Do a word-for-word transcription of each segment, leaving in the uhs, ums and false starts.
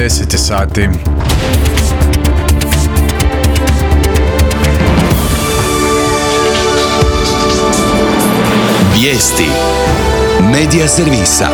deset sati. Vijesti Medija servisa.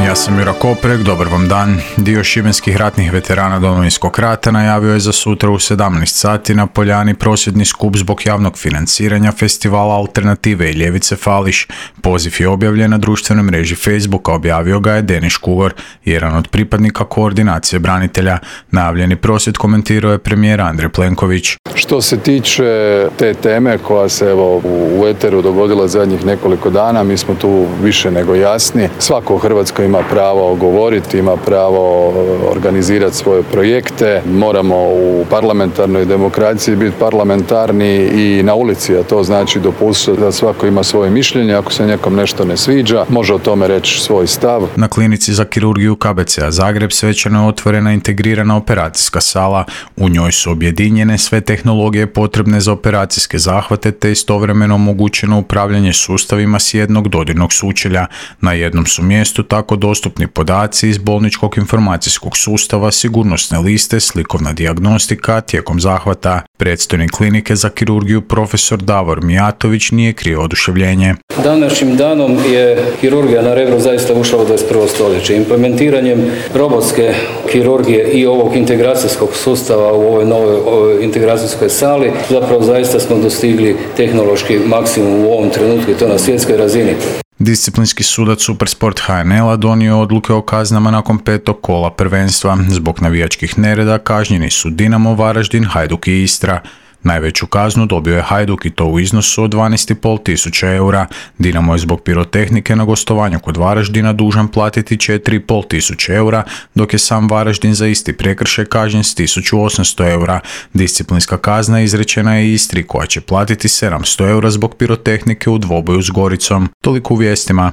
Ja sam Jura Koprek, dobar vam dan. Dio šibenskih ratnih veterana Domovinskog rata najavio je za sutra u sedamnaest sati na Poljani prosvjedni skup zbog javnog financiranja festivala Alternative i ljevice Fališ. Poziv je objavljen na društvenoj mreži Facebooka, objavio ga je Denis Škugor, jedan od pripadnika koordinacije branitelja. Najavljeni prosvjed komentirao je premijer Andrej Plenković. Što se tiče te teme koja se evo u eteru dogodila zadnjih nekoliko dana, mi smo tu više nego jasni. Svako u Hrvatskoj ima pravo govoriti, ima pravo organizirati svoje projekte. Moramo u parlamentarnoj demokraciji biti parlamentarni i na ulici, a to znači dopustiti da svako ima svoje mišljenje. Ako se nekom nešto ne sviđa, može o tome reći svoj stav. Na klinici za kirurgiju K B C-a Zagreb svečano je otvorena integrirana operacijska sala. U njoj su objedinjene sve tehnologije potrebne za operacijske zahvate te istovremeno omogućeno upravljanje sustavima s jednog dodirnog sučelja. Na jednom su mjestu tako dostupni podaci iz bolničkog informacijskog sustava, sigurnosne liste, slikovna dijagnostika tijekom zahvata. Predstojnik klinike za kirurgiju profesor Davor Mijatović nije krio oduševljenje. Današnjim danom je kirurgija na Rebru zaista ušla u dvadeset prvo stoljeće. Implementiranjem robotske kirurgije i ovog integracijskog sustava u ovoj novoj ovoj integracijskoj sali zapravo zaista smo dostigli tehnološki maksimum u ovom trenutku i to na svjetskoj razini. Disciplinski sudac Supersport H N L-a donio odluke o kaznama nakon petog kola prvenstva. Zbog navijačkih nereda kažnjeni su Dinamo, Varaždin, Hajduk i Istra. Najveću kaznu dobio je Hajduk i to u iznosu od dvanaest i pol tisuća eura. Dinamo je zbog pirotehnike na gostovanju kod Varaždina dužan platiti četiri i pol tisuće eura, dok je sam Varaždin za isti prekršaj kažnjen s tisuću osamsto eura. Disciplinska kazna izrečena je Istri koja će platiti sedamsto eura zbog pirotehnike u dvoboju s Goricom. Toliko u vijestima.